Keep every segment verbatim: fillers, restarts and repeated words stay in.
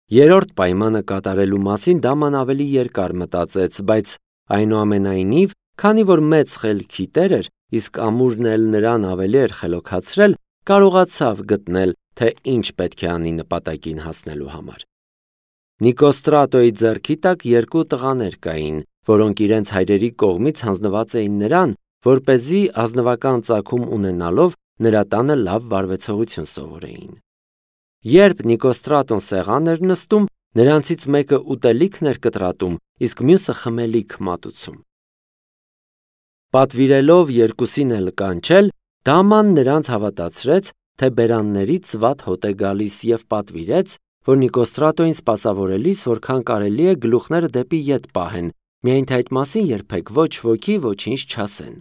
Երրորդ պայմանը կատարելու մասին Դաման ավելի երկար մտածեց, բայց այնուամենայնիվ, քանի որ մեծ խելքի տեր էր, իսկ ամուրն էլ նրան ավելի էր խելոքացրել, կարողացավ գտնել, թե ինչ պետք է անի նպատակին հասնելու համար։ Նիկոստրատոյի ձեռքի տակ երկու տղաներ կային, որոնք իրենց հայրերի կողմից հանձնված էին նրան, որպեսզի ազնվական ծագում ունենալով նրա տանը լավ վարվեցողություն սովորեին։ Երբ Նիկոստրատոն սեղան էր նստում, նրանցից մեկը ուտելիքն էր կտրատում, իսկ մյուսը խմելիք մատուցում։ Պատվիրելով երկուսին էլ կանչել, Դաման նրանց հավատացրեց, թե բերաններից վատ հոտ է գալիս և պատվիրեց, որ Նիկոստրատոյին սպասավորելիս որքան կարելի է գլուխները դեպի ետ պահեն, միայն թե այդ մասին երբեք ոչ ոքի ոչինչ չասեն։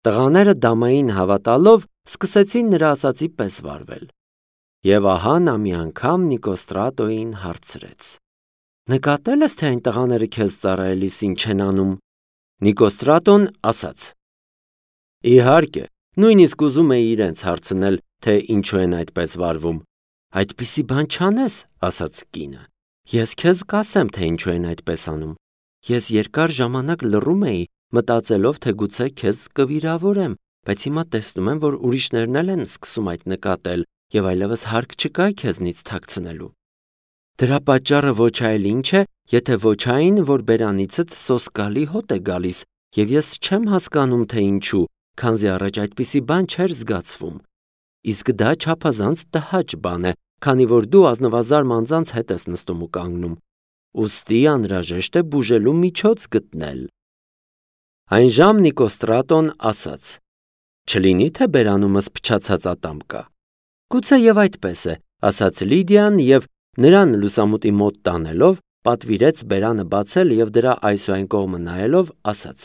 Տղաները Դամային հավատալով սկսեցին նրա ասածի պես վարվել։ Եվ ահա նա մի անգամ Նիկոստրատոյին հարցրեց. «Նկատել ես, թե այն տղաները քեզ ծառայելիս ինչ են անում»։ Նիկոստրատոն ասաց. «Իհարկե, նույնիսկ ուզում էի իրենց հարցնել, թե ինչու են այդպես վարվում»։ «Այդպիսի բան չանես», ասաց կինը։ «Ես քեզ կասեմ, թե ինչու են այդպես անում։ Ես երկար ժամանակ լռում էի, մտածելով, թե գուցե քեզ կվիրավորեմ, բայց հիմա տեսնում եմ, որ ուրիշներն էլ են սկսում այդ նկատել, և այլևս հարկ չկա քեզնից թաքցնելու։ Դրա պատճառը ոչ այլ ինչ է, եթե ոչ այն, որ բերանիցդ սոսկալի հոտ է գալիս, և ես չեմ հասկանում, թե ինչու, քանզի առաջ այդպիսի բան չէր զգացվում։ Իսկ դա չափազանց տհաճ բան է, քանի որ դու ազնվազարմ անձանց հետ ես նստում ու կանգնում։ Ուստի անհրաժեշտ է բուժելու միջոց գտնել»։ Այնժամ Նիկոստրատոն ասաց. «Չլինի թե բերանումս փչացած ատամ կա»։ «Գուցե և այդպես է», ասաց Լիդիան և նրան լուսամուտի մոտ տանելով, պատվիրեց բերանը բացել և դրա այս ու այն կողմը նայելով, ասաց.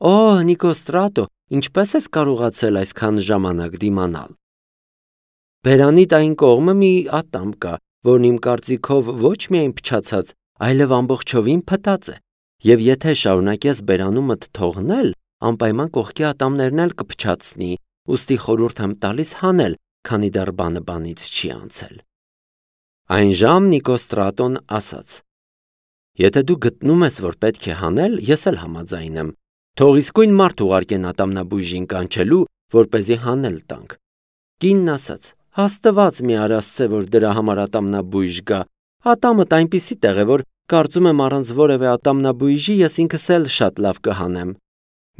«Օ, Նիկոստրատո, ինչպես ես կարողացել այսքան ժամանակ դիմանալ»։ «Բերանիդ այն կողմը մի ատամ կա, որն իմ կարծիքով ոչ միայն փչացած, այլև ամբողջովին փտած է, և եթե շարունակես բերանումդ թողնել, անպայման կողքի ատամներն էլ կփչացնի, ուստի խորհուրդ եմ տալիս հանել, քանի դեռ բանը բանից չի անցել»։ Այնժամ Նիկոստրատոն ասաց. «Եթե դու գտնում ես, որ պետք է հանել, ես էլ համաձայն եմ։ Թող իսկույն մարդ ուղարկեն ատամնաբույժին կանչելու, որպեսզի հանել տանք»։ Կինն ասաց. «Աստված մի արասցե, որ դրա համար ատամնաբույժ գա։ Ատամդ այնպիսի տեղ է, որ կարծում եմ առանց որևէ ատամնաբույժի ես ինքս էլ շատ լավ կհանեմ։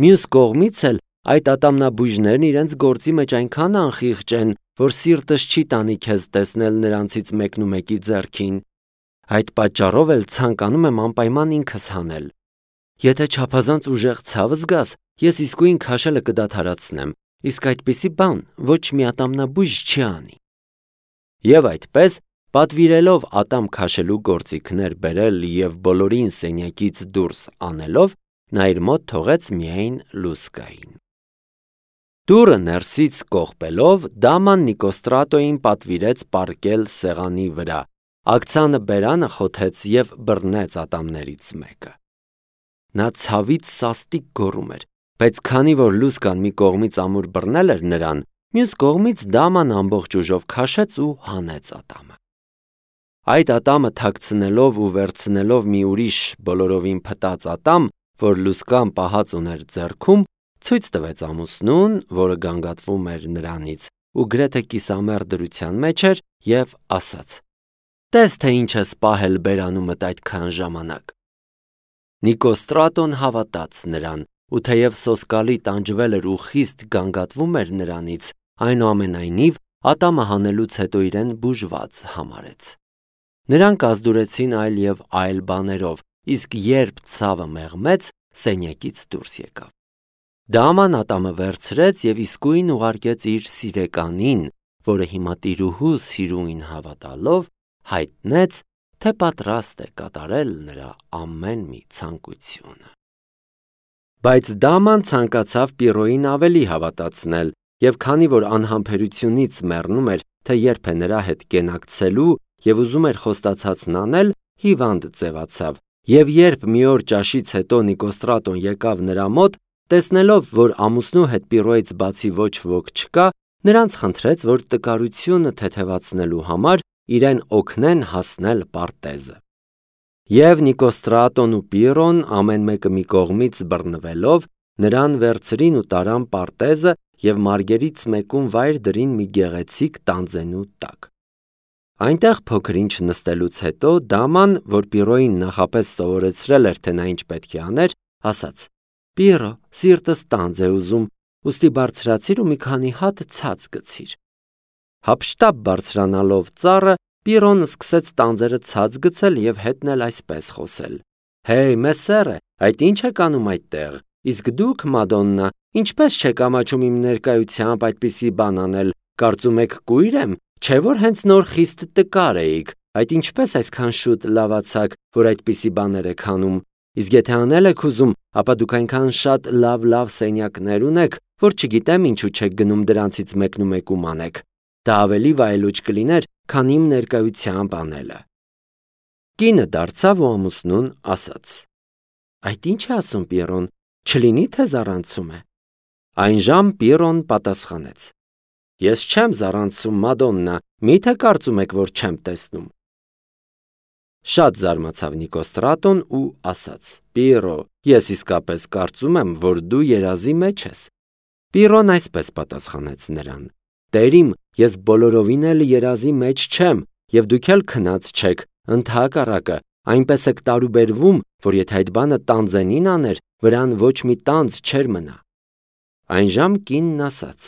Մյուս կողմից էլ այդ ատամնաբույժներն իրենց գործի մեջ այնքան անխիղճ են, որ սիրտս չի տանի քեզ տեսնել նրանցից մեկնումեկի ձեռքին։ Այդ պատճառով էլ ցանկանում եմ անպայման ինքս հանել։ Եթե չափազանց ուժեղ ցավ զգաս, ես իսկույն քաշելը կդադարեցնեմ, իսկ այդպիսի բան ոչ մի ատամնաբույժ չի անի»։ Եվ այդպես, պատվիրելով ատամ քաշելու գործիքներ բերել և բոլորին սենյակից դուրս անելով, նա իր մոտ թողեց միայն լուսկային։ Դուռը ներսից կողպելով, Դաման Նիկոստրատոյին պատվիրեց պառկել սեղանի վրա, աքցանը բերանը խոթեց և բռնեց ատամներից մեկը։ Նա ցավից սաստիկ գոռում էր, բայց քանի որ լուսկան մի կողմից ամուր բռնել էր նրան, մյուս կողմից Դաման ամբողջ ուժով քաշեց ու հանեց ատամը։ Այդ ատամը թաքցնելով ու վերցնելով մի ուրիշ բոլորովին փտած ատամ, որ լուսկան պահած ուներ ձեռքում, ցույց տվեց ամուսնուն, որը գանգատվում էր նրանից ու գրեթե կիսամեռ դրության մեջ էր, և ասաց. «Տես, թե ինչ ես պահել բերանումդ այդքան ժամանակ»։ Նիկոստրատոն հավատաց նրան, ու թեև սոսկալի տանջվել էր ու խիստ գանգատվում էր նրանից, այնուամենայնիվ ատամը հանելուց հետո իրեն բուժված համարեց։ Նրանք ազդուրեցին այլ և այլ բաներով, իսկ երբ ցավը մեղմեց, սենյակից դուրս եկավ։ Դաման ատամը վերցրեց և իսկույն ուղարկեց իր սիրեկանին, որը հիմա տիրուհու սիրուն հավատալով հայտնեց, թե պատրաստ է կատարել նրա ամեն մի ցանկությունը։ Բայց Դաման ցանկացավ Պիրոյին ավելի հավատացնել, և քանի որ անհամբերությունից մեռնում էր, թե երբ է նրա հետ կենակցելու և ուզում էր խոստացածն անել, հիվանդ ձևացավ, և երբ մի օր ճաշից հետո Նիկոստրատոն եկավ նրա մոտ, տեսնելով, որ ամուսնու հետ Պիրոյից բացի ոչ ոք չկա, նրանց խնդրեց, որ տկարությունը թեթևացնելու համար իրեն օգնեն հասնել Պարտեզը։ Եվ Նիկոստրատոն ու Պիրոն ամեն մեկը մի կողմից բռնվելով նրան վերցրին ու տարան Պարտեզը և մարգերից մեկում վայր դրին մի գեղեցիկ տանձենու տակ։ Այնտեղ փոքր ինչ նստելուց հետո դաման, որ Պիրոյին նախապես սովորեցրել էր, թե նա ինչ պետք է աներ, ասաց. «Պիրո, սիրտս տանձ է ուզում, ուստի բարձրացիր ու մի քանի հատ ցած գցիր»։ Հափշտապ բարձրանալով ծառը, Պիրոն սկսեց տանձերը ցած գցել և հետն էլ այսպես խոսել. «Հեյ, մեսերը, այդ ինչ եք անում այդտեղ, իսկ դուք, Մադոննա, ինչպես չեք ամաչում իմ ներկայությամբ այդպիսի բան անել, կարծում եք կույր եմ, չէ՞ որ հենց նոր խիստ տկար էիք, այդ ինչպես այսքան շուտ լավացաք, որ այդպիսի բաներ եք անում, իսկ եթե անել եք ուզում, ապա դուք այնքան շատ լավ-լավ սենյակներ ունեք, որ չգիտեմ ինչու չեք գնում դրանցից մեկնումեկում անեք, դա ավելի վայելուչ կլիներ, քան իմ ներկայությամբ անելը»։ Կինը դարձավ ու ամուսնուն ասաց. «Այդ ինչ է ասում Պիրոն, չլինի թե զառանցում է»։ Այնժամ Պիրոն պատասխանեց. «Ես չեմ զառանցում, Մադոննա, մի՞թե կարծում եք, որ չեմ տեսնում»։ Շատ զարմացավ Նիկոստրատոն ու ասաց. «Պիրո, ես իսկապես կարծում եմ, որ դու երազի մեջ ես»։ Պիրոն այսպես պատասխանեց նրան. «Տեր իմ, ես բոլորովին էլ երազի մեջ չեմ, և դուք էլ քնած չեք, ընդհակառակը, այնպես եք տարուբերվում, որ եթե այդ բանը տանձենին աներ, վրան ոչ մի տանձ չէր մնա»։ Այնժամ կինն ասաց.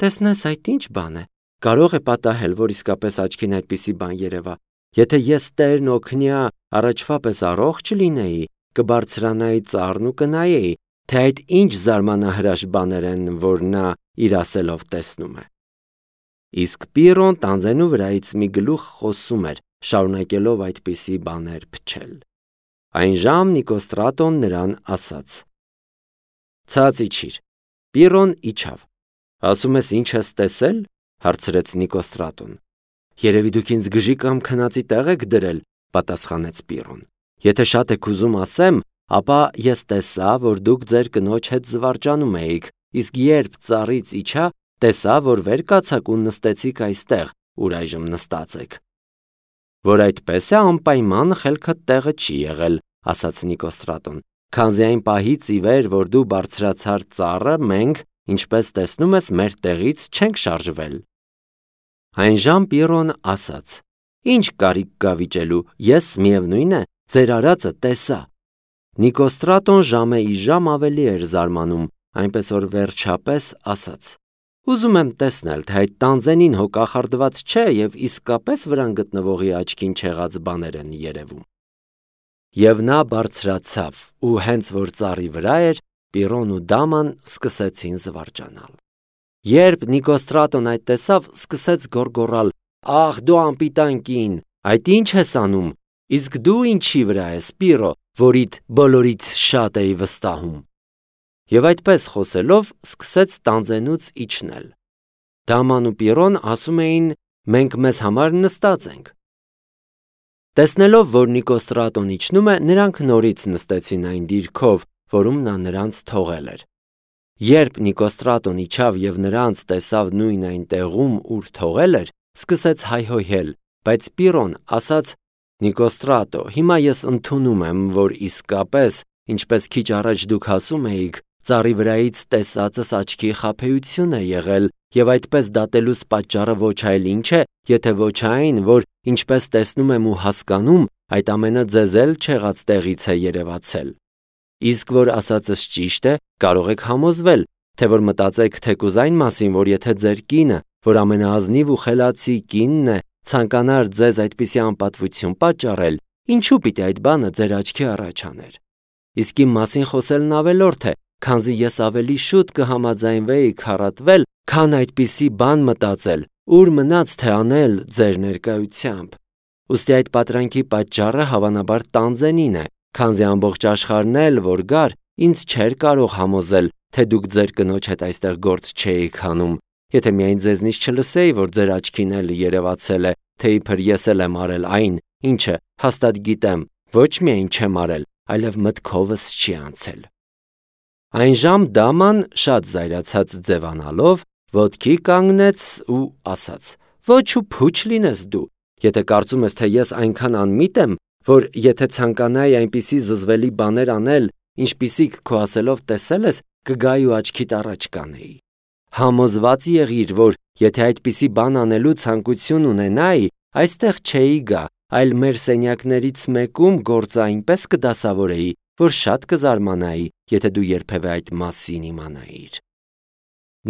«Տեսնես այդ ինչ բան է, կարող է պատահել, որ իսկապես աչքին այդպիսի բան երևա, եթե ես Տերն օգնյա առաջվա պես առողջ լինեի, կբարձրանայի ծառն ու կնայեի, թե այդ ինչ զարմանահրաշ բաներ են, որ նա իր ասելով տեսնում է»։ Իսկ Պիրոն տանձենու վրայից մի գլուխ խոսում էր, շարունակելով այդպիսի բաներ փչել։ Այնժամ Նիկոստրատոն նրան ասաց. «Ցած իջիր»։ Պիրոն իջավ։ «Ասում ես ինչ ես տեսել»։ Հարցրեց Նիկոստրատոն։ «Երևի դուք ինձ գժի կամ քնածի տեղ եք դրել», պատասխանեց Պիրոն։ «Եթե շատ եք ուզում ասեմ, ապա ես տեսա, որ դուք ձեր կնոջ հետ զվարճանում էիք, իսկ երբ ծառից իջա, տեսա, որ վեր կացաք ու նստեցիք այստեղ, ուր այժմ նստած եք»։ «Որ այդպես է, անպայման խելքդ տեղը չի եղել», ասաց Նիկոստրատոն, «քանզի այն պահից ի վեր, որ դու բարձրացար ծառը, մենք, ինչպես տեսնում ես, մեր տեղից չենք շարժվել»։ Այնժամ Պիրոն ասաց. «Ինչ կարիք կա վիճելու, ես միևնույն է, ձեր արածը տեսա»։ Նիկոստրատոն ժամը ի ժամ ավելի էր զարմանում, այնպես որ վերջապես ասաց. «Ուզում եմ տեսնել, թե այդ տանձենին հո կախարդված չէ և իսկապես վրան գտնվողի աչքին չեղած բաներ են երևում»։ Եվ նա բարձրացավ, ու հենց որ ծառի վրա էր, Պիրոն ու դաման սկսեցին զվարճանալ։ Երբ Նիկոստրատոն այդ տեսավ, սկսեց գոռգոռալ. «Ախ, դու անպիտան կին, այդ ինչ ես անում, իսկ դու ինչի վրա ես, Պիրո, որիդ բոլորից շատ էի վստահում»։ Եվ այդպես խոսելով սկսեց տանձենուց իջնել։ Դաման ու Պիրոն ասում էին. «Մենք մեզ համար նստած ենք»։ Տեսնելով, որ Նիկոստրատոն իջնում է, նրանք նորից նստեցին այն դիրքով, որում նա նրանց թողել էր։ Երբ Նիկոստրատոն իջավ և նրանց տեսավ նույն այն տեղում, ուր թողել էր, սկսեց հայհոյել, բայց Պիրոն ասաց. «Նիկոստրատո, հիմա ես ընդունում եմ, որ իսկապես, ինչպես քիչ առաջ դուք ասում էիք, ծառի վրայից տեսածս աչքի խաբեություն է եղել, և այդպես դատելուս պատճառը ոչ այլ ինչ է, եթե ոչ այն, որ ինչպես տեսնում եմ ու հասկանում, այդ ամենը ձեզ էլ չեղած տեղից է երևացել։ Իսկ որ ասածս ճիշտ է, կարող եք համոզվել, թե որ մտածեք թեկուզ այն մասին, որ եթե ձեր կինը, որ ամենաազնիվ ու խելացի կինն է, ցանկանար ձեզ այդպիսի անպատվություն պատճառել, ինչու պիտի այդ բանը ձեր աչքի առաջ աներ։ Իսկ իմ մասին խոսելն ավելորդ է, քանզի ես ավելի շուտ կհամաձայնվեի քառատվել, քան այդպիսի բան մտածել, ուր մնաց թե անել ձեր ներկայությամբ։ Ուստի այդ պատրանքի պատճառը հավանաբար տանձենին է, քանզի ամբողջ աշխարհն էլ, որ գար, ինձ չէր կարող համոզել, թե դուք ձեր կնոջ հետ այստեղ գործ չէիք անում, եթե միայն ձեզնից չլսեի, որ ձեր աչքին էլ երևացել է, թե իբր ես էլ եմ արել այն, ինչը հաստատ գիտեմ, ոչ միայն չեմ արել, այլև մտքովս չի անցել։ Այնժամ դաման շատ զայրացած ձևանալով ոտքի կանգնեց ու ասաց. «Ոչ ու փուչ լինես դու, Եթե կարծում ես, թե ես այնքան անմիտ եմ, որ եթե ցանկանայի այնպիսի զզվելի բաներ անել, ինչպիսիք քո ասելով տեսել ես, կգայի ու աչքիդ առաջ կանեի։ Համոզված եղիր, որ եթե այդպիսի բան անելու ցանկություն ունենայի, այստեղ չէի գա, այլ մեր սենյակներից մեկում գործը այնպես կդասավորեի, որ շատ կզարմանայի, եթե դու երբևէ այդ մասին իմանայիր։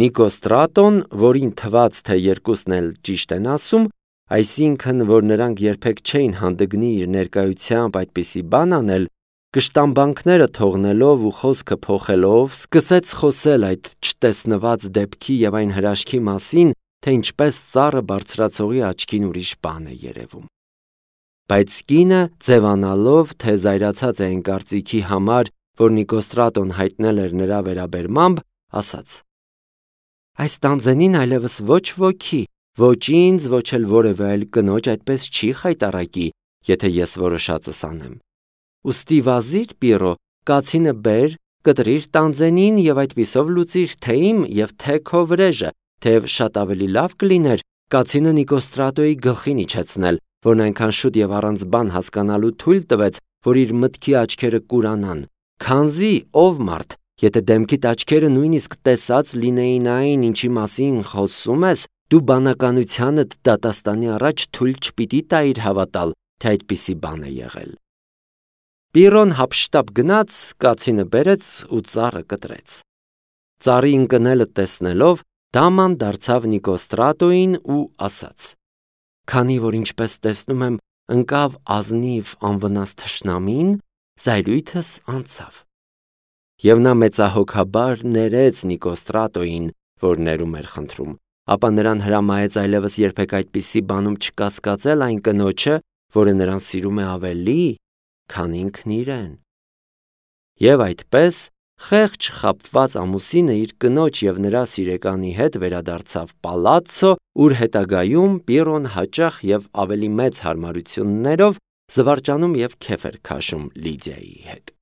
Նիկոստրատոն, որին թվաց, թե երկուսն էլ ճիշտ են ասում, այսինքն, որ նրանք երբեք չէին հանդգնի իր ներկայությամբ այդպիսի բան անել, կշտամբանքները թողնելով ու խոսքը փոխելով, սկսեց խոսել այդ չտեսնված դեպքի եւ այն հրաշքի մասին, թե ինչպես ծառը բարձրացողի աչքին ուրիշ բան է երևում։ Բայց կինը, ձևանալով, թե զայրացած է այն կարծիքի համար, որ Նիկոստրատոն հայտնել էր նրա վերաբերմամբ, ասաց. Այս տանձենին այլևս ոչ ոքի, ոչ ինձ, ոչ էլ որևէ այլ կնոջ այդպես չի խայտառակի, եթե ես որոշածս անեմ։ Ուստի վազիր, Պիրո, կացինը բեր, կտրիր տանձենին եւ այդպիսով լուծիր թե իմ եւ թե քո վրեժը, թեև շատ ավելի լավ կլիներ կացինը Նիկոստրատոյի գլխին իջեցնել, որն այնքան շուտ եւ առանց բան հասկանալու թույլ տվեց, որ իր մտքի աչքերը կուրանան, քանզի ով մարդ, եթե դեմքիդ աչքերը նույնիսկ տեսած լինեին այն, ինչի մասին խոսում ես, դու բանականությանդ դատաստանի առաջ թույլ չպիտի տայիր հավատալ, թե այդպիսի բան է եղել։ Պիրոն հափշտապ գնաց, կացինը բերեց ու ծառը կտրեց։ Ծառի ընկնելը տեսնելով, Դաման դարձավ Նիկոստրատոյին ու ասաց. Քանի որ ինչպես տեսնում եմ, ընկավ ազնիվ անվնաս թշնամին, զայրույթս անցավ։ Եվ նա մեծահոգաբար ներեց Նիկոստրատոյին, որ ներում էր խնդրում, ապա նրան հրամայեց այլևս երբեք այդպիսի բանում չկասկածել այն կնոջը, որը նրան սիրում է ավելի, քան ինքն իրեն։ Եվ այդպես խեղճ խաբված ամուսինը իր կնոջ եւ նրա սիրեկանի հետ վերադարձավ պալացցո, ուր հետագայում Պիրոն հաճախ եւ ավելի մեծ հարմարություններով զվարճանում եւ քեֆ էր քաշում Լիդիայի հետ։